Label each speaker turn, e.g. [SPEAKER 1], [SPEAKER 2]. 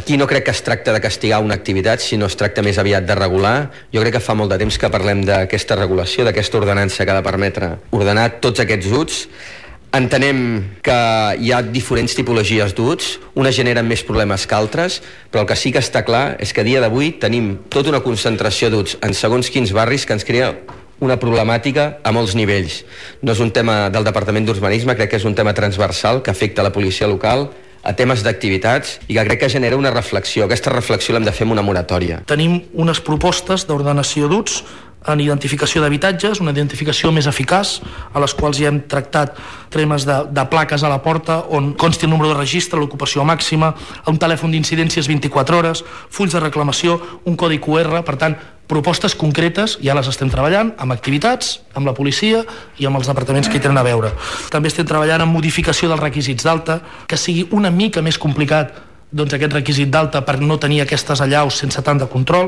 [SPEAKER 1] Aquí no crec que es tracta de castigar una activitat, sinó es tracta més aviat de regular. Jo crec que fa molt de temps que parlem d'aquesta regulació, d'aquesta ordenança que ha de permetre ordenar tots aquests UTs. Entenem que hi ha diferents tipologies d'UTs, unes generen més problemes que altres, però el que sí que està clar és que a dia d'avui tenim tota una concentració d'UTs en segons quins barris que ens crea una problemàtica a molts nivells. No és un tema del Departament d'Urbanisme, crec que és un tema transversal que afecta la policia local, a temes d'activitats, i que crec que genera una reflexió. Aquesta reflexió l'hem de fer amb una moratòria.
[SPEAKER 2] Tenim unes propostes d'ordenació d'UTs en identificació d'habitatges, una identificació més eficaç, a les quals ja hem tractat temes de plaques a la porta on consti el número de registre, l'ocupació màxima, un telèfon d'incidències 24 hores, fulls de reclamació, un codi QR. Per tant, propostes concretes ja les estem treballant amb activitats, amb la policia i amb els departaments que hi tenen a veure. També estem treballant en modificació dels requisits d'alta, que sigui una mica més complicat aquest requisit d'alta per no tenir aquestes allaus sense tant de control.